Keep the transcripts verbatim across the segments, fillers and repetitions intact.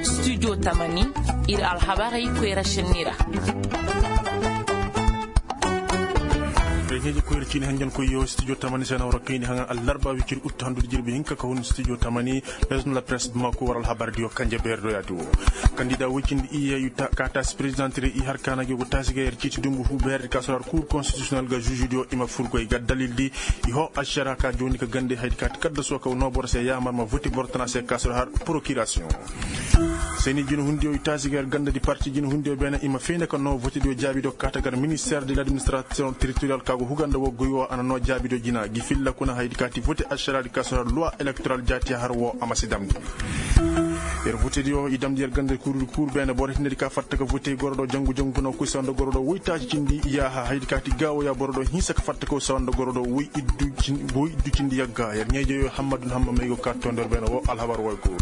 Studio tamani, ir alhabarey koyra šenni ra. Ay ɲeeje koyra ciini hanjankoyyo studio tamani se na war kayndi haŋa allarba wiciri ut handu da jirbi hinka ka hun studio tamani. Maison de la presse bamako war alhabar diyo kanje beeri do yaati wo. Kandida woy cindi iyye ka taasi prezidanti ra i har kaana gi go taasi ga yer ciiti dumbu fu beeri ka sor har kuur konstitisiyonel ga žuži diyo i ma fur goy ga dalil di. I hoo ašara ka jooni ka gande haydi ka ti kaddaso ka noo boro se yaamar ma voti boro tana se ka sor har prokirasiyoŋ. Seni jinahundiyo i taasi ga yer ganda di parti jinahundiyo beene i ma fayna ka noo vote diyo jaabi do ka ta gar minister de l'administration territorial ka go huganda wo goy wo a na noo jaabi do jina gi filla kuna haydi ka ti vote ašara di ka sor har luwa elektoral jaati har wo a ma si damndi. Yer vote diyo i damndi yer ganda di kuuru di kuuru beene boro hinne di ka fatta ka vote goro do jangu jangu kuna koy sawanda goro do woy taasi cindi yaaha haydi ka ti gaawo ya boro do hinsa ka fatta ka wo sawanda goro do woy iddu cindi yagga yer ɲeejeyo hammadu na hamma may go ka tondor beene wo alhabar woy kuuru.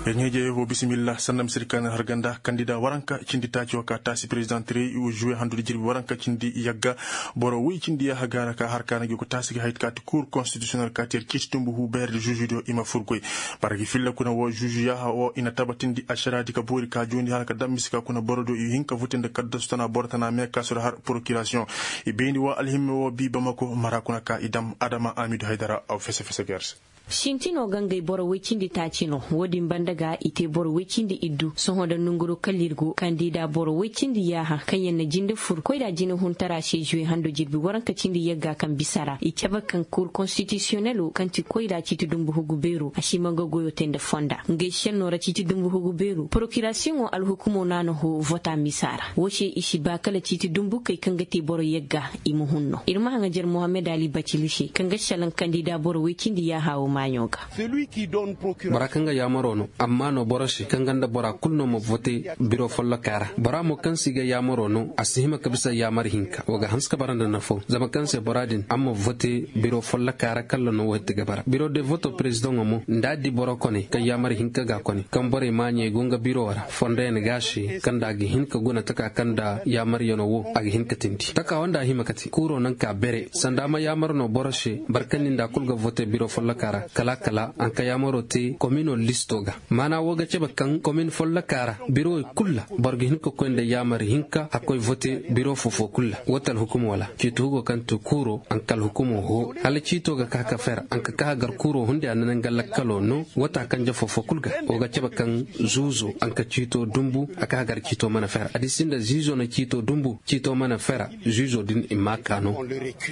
Yer ɲeejeyo wo bisimilla sanda misir ka na har ganda kandida waranka cindi taaci wo ka taasi prezidanti rey juwe handu di jirbi waranka cindi yagga. Boro woy cindi yaaha gaara ka har ka na gi go taasi ga haydi ka ti kuur konstitisiyonel ka ti yer ciiti dumbu fu beeri di žuži diyo i ma fur goy. Bara gi filla kuna wo žuži yaaha wo i na tabatindi ašaraadi ka boori ka joondi hala ka dam mise ka kuna boro diyo i hin ka vote nda kaddasu tana boro tana mee ka sor har prokirasiyoŋ. I bayndi wo alhimme wo bii bamako mara kuna ka i dam adama amidu haydara aw fese fese ga yer se. Sintinoo ga ngey boro woy cindi taaci no. Woodin banda ga i te boro woy cindi iddu sohõ nda nonguroo kala ir go kandida boro woy cindi yaaha kaŋ yaŋ na jinde fur koyra jinahuntara se žuwe hando jirbi waranka cindi yagga kaŋ bisa ra i cabe kaŋ kuur konstitisiyonelo kaŋ ti koyra ciiti dumbu hugu beero a si ma nga goyoo te nda fonda ngey šennoo ra ciiti dumbu hugu beero porokirasiyoŋo alhukumoo no a na hoo vota misa ra woo se i si ba kala ciiti dumbukey kaŋ ga te boro yagga. I ma hun no ir ma haŋajer mohammed ali bacili se kaŋ ga šelaŋ kandida boro woy cindi yaaha woo maaɲo ga. Bora kaŋ ga yaamaroo no amma no boro se kaŋ ga nda bora kul no ma vote biro follokaa ra bora mo kaŋ se i ga yaamaroo no a si hima ka bisa yaamar hinka woo ga hanse ka bara nda nafoo zama kaŋ se bora din a ma vote biro follokaa ra kalla no woo ti ga bara biro de voto perezidaŋo mo nda a di boro kone kaŋ yaamar hinka ga a kone kaŋ borey maaɲey go nga biro ra fondoyaŋ ga a se kaŋ nda a ga hin ka guna taka kaŋ nda yaamaryanoo woo a ga hin ka tindi takaa woo nda a hima ka te kuuroo naŋ ka bere sanda a ma yaamar no boro se boro kaŋ ni nda a kul ga vote biro follokaa ra kala kala a na ka yaamaroo te kominoo listoo ga maana woo ga cabe kaŋ komin follokaa ra birowey kul ra boro ga hin ka koy nda yaamar hinka a koy vote biro foofoo kul ra woo ti alhukumoo ra ciiti hugoo kaŋ ti kuuroo a na ka alhukumoo hoo hala ciitoo ga ka ka fer a na ka ka gar kuuroo hunday a na naŋ ga lakkaloo no woo ti a kanje foofoo kul ga woo ga cabe kaŋ zuuzoo a na ka ciitoo dumbu a ka gar ciitoo mana fer a di si nda zuuzoo na ciitoo dumbu ciitoo mana fer zuuzoo din i ma a kaa no.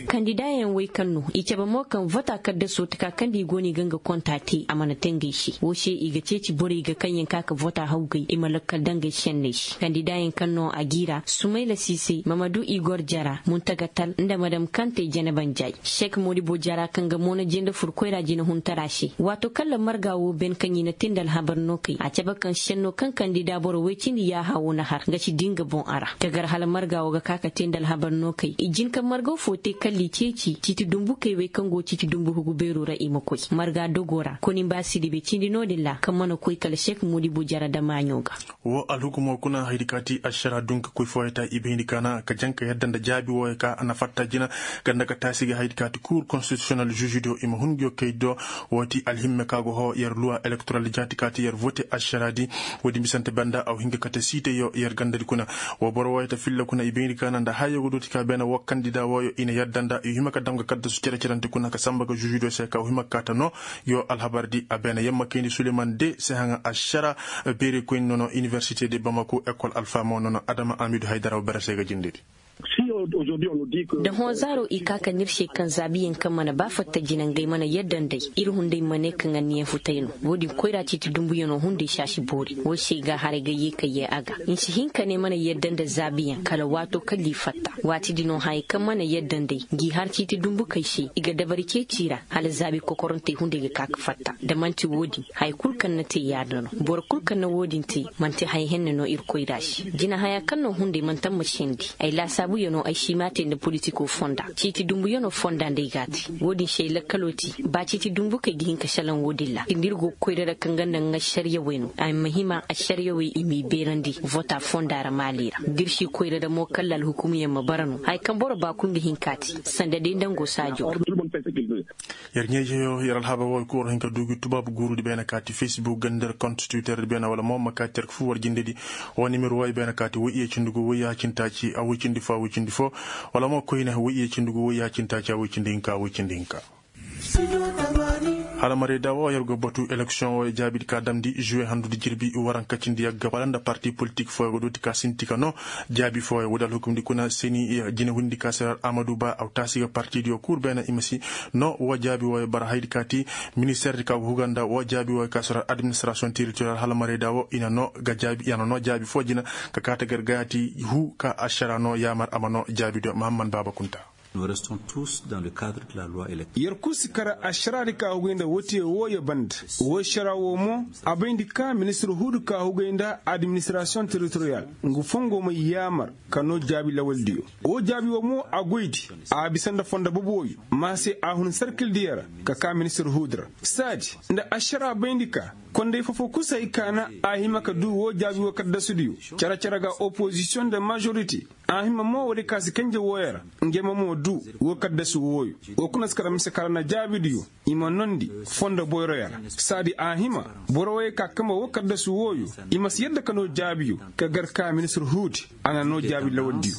Kandidaayaŋ wey kaŋ no i cabe mo kaŋ vota kaddasoo ti ka kaŋ nda i go no i ga nga konta te a mana te ngey se woo se i ga ceeci borey ga kaŋ yaŋ ka ka vota hawgay i ma lakkal daŋ ngey senney se kandidaayaŋ kaŋ no a g'i ra sumayla siisey mamadu igor jara muntagatal nda madam kante jenebanjay sek modibo jara kaŋ ga mo na jinde fur koyra jinahuntara se waato kaŋ ra marga woo ben kaŋ i na te nda alhabar no kay a cabe kaŋ senno kaŋ kandida boro woy cindi yaaha woo na har nga si di nga boŋ a ra ka gar hala marga woo ga ka ka te nda alhabar no kay i jin ka marga foo te kalla i ceeci ciiti dumbukey wey kaŋ go ciiti dumbu hugu beeroo ra i ma koy marga dogoo ra koni mba sidibe cindi no-din ra kaŋ mana koy kala sek modibo jara damaaɲo ga. Woo alhukumoo kuna haydi ka ti ašara dunka koy fooyey ta i bayndi kaana ka jaŋ ka yadda nda jaabi wooyey ka a na fatta jina ganda ka taasi ga haydi ka ti kuur konstitisiyonel žuužudiyo i ma hun nguyo kay do. Woo ti alhimme ka go hoo yer luwa elektoral jaati ka ti yer vote ašaraadi. Woodin bisante banda a wa hin ka kate siitayyo yer gandadi kuna. Woo boro wooyey ta filla kuna i bayndi kaana nda hayyo go dooti ka beene woo kandida wooyo i na yadda nda i hima ka dam ga kaddasu cere-cerante kuna ka samba ga žuužudiyo se ka wa hima ka kaata no. Yoo alhabar di a beene yamma kayndi suleman de se haŋa ašara. Beerey koyni nono iniversite de bamako ekol alfa mo nono adama amidu haydara wa bere se ga jindedi. Da hõ zaaro i ka ka n'ir se kaŋ zaabiyaŋ kaŋ mana ba fatta jina ngey mana yadda nd'ey ir hunday ma ne kaŋ anniya futay no. Woodin koyra ciiti dumbuyanoo hunday se a si boori woo se i ga a haray ga yee ka yee a ga. Nsi hin ka ne mana yadda nda zaabiyaŋ kala waato kala i fatta waati di no hayey kaŋ mana yadda nd'ey ngi har ciiti dumbukey se i ga dabari ceeci ra. Hala zaabi kokorantey hunday ga ka ka fatta da man'ti woodin haya kul kaŋ na te yaada no. Boro kul kaŋ na woodin te man'ti haya henne no ir koyra se jina haya kaŋ no hunday man'ti a ma sendi ay laasaabuyanoo. Siima te nda politikoo fonda ciiti dumbuyanoo fonda nda ay ga a te. Woo din se ay lakkaloo te ba ciiti dumbu kaŋ ay ga hin ka salaŋ woo din ra nda ir go ga koyra ra kaŋ ga nda nga ašariyawey no a ma hima ašariyawey i m'i beerandi vota fonda ra maali ra da ir si koyra ra mo kalla alhukumuyaŋ ma bara no haya kaŋ boro ba kul ga hin k'a te. Sanda day nda nga go saajoo ra. Yer ɲaa-izeyo yer alhabar woo kul war hin ka du gi tubaabu guuru di beene kaati facebook ganda nda konti twitter di beene wala mo ma kaati yer ga fur war jindedi. Woo nimero woo ay beene kaati woy iyye cindi gu woy yaaha cindi taaci a woy cindi fo a woy cindi fo. Wala mo koyne woy iyye cindi gu woy yaaha cindi taaci a woy cindi hinka a woy cindi hinka. Hala marayda woo yer go batu eleksiyoŋ woo jaabidi ka damndi žuwe handudi jirbi waranka cindi yagga wala nda parti politik fooyo go dooti ka sinti ka noo jaabi fooyo woodi alhukumdi kuna seni jinehundidi ka se ra amadu ba aw taasi ga partidiyo kul beene i ma si noo woo jaabi wooyo bara haydi ka ti. Ministerdi ka go huga nda woo jaabi wooyo ka se ra administrasiyoŋ teritoriyal hala marayda woo i na noo jaabi foo jina ka kaati gar gayaati huu ka ašara noo yaamar a ma noo jaabidiyo mahamman baaba kunta. Yer kul si kar ašaraadi ka hugay nda wotiyo wooyo banda. Woo ašara woo mo a bayndi ka ministir huudi ka hugay nda administirasiyoŋ teritoriyal ngu fongo may yaamar ka noo jaabi lawaldiyo. Woo jaabi woo mo a goydi a bisa nda fondo boboyo ma se a hun sarkildiyo ra ka ka ministir huudi ra. Saadi nda ašara bayndi ka konday foo-foo kul si hay ka na a hima ka duu woo jaabi woo kaddasudiyo. Cere-cere ga opozisiyoŋ nda mažorite a hima mo woodi ka si kanje wooyo ra. Ngey ma mo duu woo kaddasu wooyo. Woo kuna si kar mise kar na jaabidiyo i ma noondi fondo boyroyo ra. Saadi a hima boro wooyo ka kamba woo kaddasu wooyo i ma si yadda ka noo jaabiyo ka gar ka ministir huudi a na noo jaabi lawaldiyo.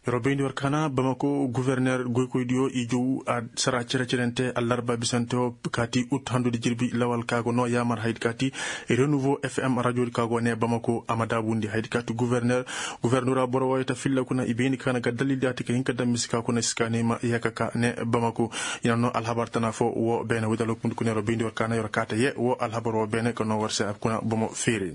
Yer wo bayndi war kaana bamako guverner goykoydiyo i jow a sara cere-cerente allarba bisante woo kaati ut handudi jirbi lawal ka go noo yaamar haydi kaati renouveau fm rajodi ka go ne bamako a ma daabundi haydi kaati guverner. Guvernora boro wooyo ta filla kuna i bayndi kaana ga dalildi a ti ka hin ka daŋ mise ka kuna si ka ne ma yee ka ka ne bamako. I na noo alhabar tana foo woo beene woodi alhukumdi kuna yer wo bayndi war kaana yer wo kaata yee woo alhabar woo beene ka noo war se a kuna bomo feere.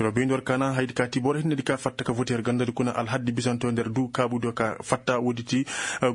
Yer wo bayndi war kaana haydi kaati boro hinnedi ka fatta ka vote yer gandadi kuna alhaddi bisanto nder duu kaabudiyo ka fatta woodi ti.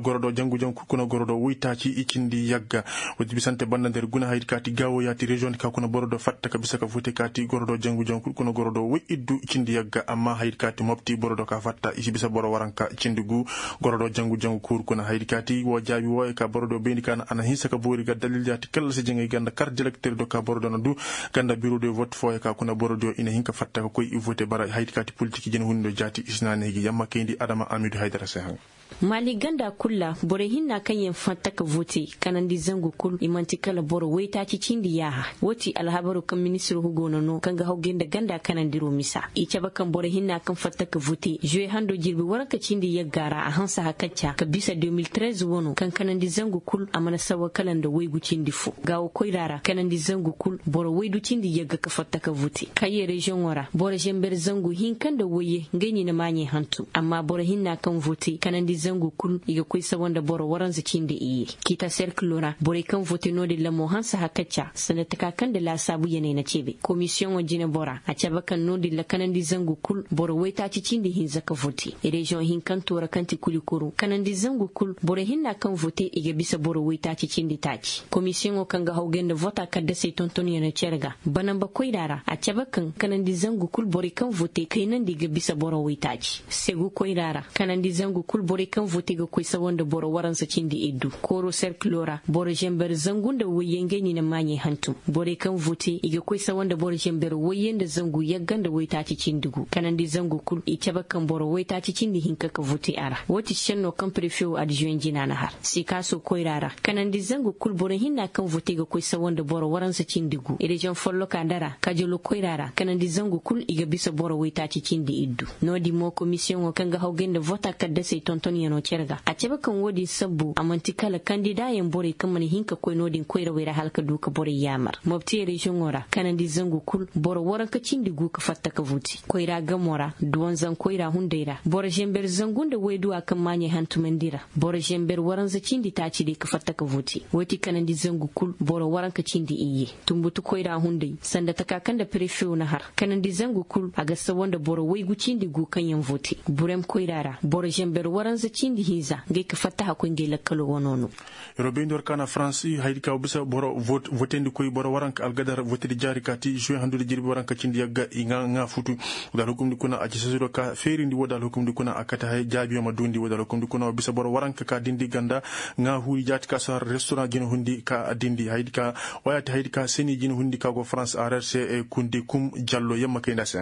Gorodo jangu-jangu kul kuna gorodo woytaaci i cindi yagga. Woodi bisante banda nder guna haydi kaati gaawo yaati reziyoŋdi ka kuna borodo fatta ka bisa ka vote kaati gorodo jangu-jangu kul kuna gorodo woy iddu i cindi yagga amma haydi kaati mopti borodo ka fatta i si bisa boro waranka cindi guu. Gorodo jangu-jangu kuuru kuna haydi kaati woo jaabi wooyo ka borodo bayndi kaana a na hinsa ka boori ga dalildiyo ti kallasi jaŋay ganda kar direkterido ka borodo na duu. Ganda birodiyo vot fooyo ka kuna borodiyo i na hin ka fatta ka koy i vote bara haydi kaati politik jinehundiyo jaati i si na neegi yamma kayndi adama amidu haydara se haŋ. Maali ganda kul ra borey hinna kaŋ yaŋ fatta ka vote kanandi zangu kul i man'ti kala boro woytaaci cindi yaaha. Woo ti alhabaroo kaŋ ministiroo hugo na noo kaŋ ga hawgay nda ganda kanandiro misa i cabe kaŋ borey hinna kaŋ fatta ka vote zuwe hando jirbi waranka cindi yagga ra a hanse hakacca ka bisa de mil trez wano kaŋ kanandi zangu kul a mana sawa kala nda waygu cindi fo. Gaawo koyra ra kanandi zangu kul boro waydu cindi yagga ka fatta ka vote kayye reziyoŋo ra boro zenber zangu hinka nda wayye ngey no i na maaɲey hantum amma boro hinna kaŋ vote kanandi zangu kul i ga koy sawa nda boro waranza cindi iyye. Kiita serkilo ra borey kaŋ vote no-din ra mo hanse hakacca sanda taka kaŋ nda laasaabu yaney na ceebe komisiyoŋo jinebora a cabe kaŋ no-din ra kanandi zangu kul boro waytaaci cindi hinza ka vote. Reziyoŋ hinkanto ra kaŋ ti kulikuru kanandi zangu kul boro hinna kaŋ vote i ga bisa boro waytaaci cindi taaci komisiyoŋo kaŋ ga hawgay nda vota kaddasey tontonyaŋo cere ga banamba koyra ra a cabe kaŋ kanandi zangu kul borey kaŋ vote kaynandi ga bisa boro waytaaci segu koyra ra kanandi zangu kul borey kaŋ vote ga koy sawa nda boro waransa cindi iddu kooro serkilo ra boro zenber zangu nda wayye ngey no i na maaɲey hantum borey kaŋ vote i ga koy sawa nda boro zenber wayye nda zangu yagga nda waytaaci cindi gu kanandi zangu kul i cabe kaŋ boro waytaaci cindi hinka ka vote a ra woo ti senno kaŋ prefe woo adizuwen jina na har sikaaso koyra ra kanandi zangu kul boro hinna kaŋ vote ga koy sawa nda boro waransa cindi gu reziyoŋ folloka nda ra kajalo koyra ra kanandi zangu kul i ga bisa boro waytaaci cindi iddu. No-din mo komisiyoŋo kaŋ ga hawgay nda vota kaddasey tontonyaŋo cere ga a cabe kaŋ woo din sabbu a man'ti kala kandidaayaŋ borey kaŋ mana hin ka koy no-din koyrawey ra hala ka du ka borey yaamar mopti reziyoŋo ra kanandi zangu kul boro waranka cindi gu ka fatta ka vote koyra gamo ra duwanzaŋ koyra hunday ra boro zenber zangu nda wayduwa kaŋ maaɲey hantumandi ra boro zenber waranza cindi taaci day ka fatta ka vote woo ti kanandi zangu kul boro waranka cindi iyye. Tunbutu koyra hunday sanda taka kaŋ nda prefe woo na har kanandi zangu kul a ga sawa nda boro waygu cindi gu kaŋ yaŋ vote burem koyra ra boro zenber waranza cindi hinza ngey ka fattaha koy ngey lakkaloo wanoo no. Yeroo bayndi war ka na farans haydi ka wa bisa boro votendi koy boro waranka algadar votedi jaari ka ti juwe handu nda jirbi waranka cindi yagga i ŋaa futu. Woo da alhukumndi kuna a ci sosiro ka feerindi woo da alhukumndi kuna a kate haya jaabiyo ma duundi woo da alhukumndi kuna wa bisa boro waranka ka dindi ganda ŋaa huuri jaati ka sar restoran jina hundi ka dindi haydi ka wayaati haydi ka seni jina hundi ka go farans a rer se kundi kum jallo yamma kay nda se.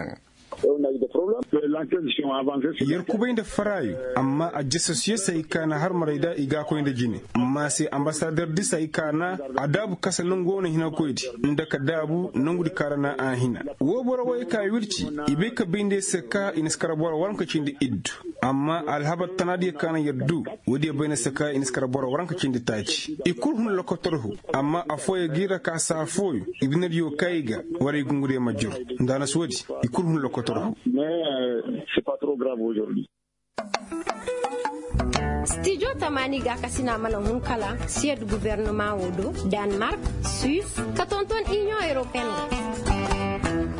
Yer kubay nda faraayu amma a jasasiyasey ka na har maray da i ga a koy nda jine. Amma se ambasader disey ka na a daabu kasa nongu wo na hinakoydi nda ka daabu nongudi ka ra na a hina. Woo boro woy ka wirci i bay ka bay nda yer se ka i na si kar boro waranka cindi iddu. Amma alhabar tanaadiyo ka na yer du woodiyo bay nda se ka i na si kar boro waranka cindi taaci i kul hun lokotorhu. Amma affooyo ga i ra ka saa fooyo i binediyo ka i ga. War ay gungudiyo ma jur. Nda a na si woodi i kul hun lokotorhu. Stijo tamaani gaakasina mana hun kala siyed gubernamaa woo do, danmark, suis, ka tonton iniyoŋ europeen.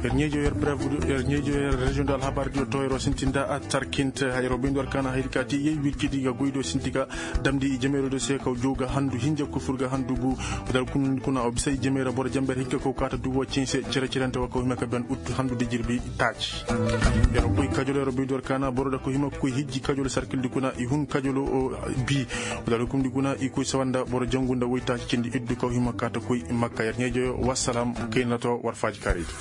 Ra yer ɲeejo yer brev yer ɲeejo yer reziyoŋ do alhabar diyo tooyaroo sinti nda a tarkinte hayroo bayndi war kaana hayri ka ti yey wircidi ga goydoo sinti ga damndi i jameeroo do se kaw jow ga handu hinja kufur ga handu gu. Woo da alkunun kuna wa bisa i jameera boro jamber hinka kaw kaata duubo cinse cere cerente wa kaw hima ka ben ut handu dijirbi taaci. Yer koy kajolo yer bayndi war kaana boro da kaw hima koy hijji kajolo sarkildi kuna i hun kajolo bi. Woo da alkunun di kuna i koy sawa nda boro jangu nda woy taaci cindi iddu kaw hima kaata koy makka yer ɲeejo yo wassalam. Kayna to war faaji kaaraydi.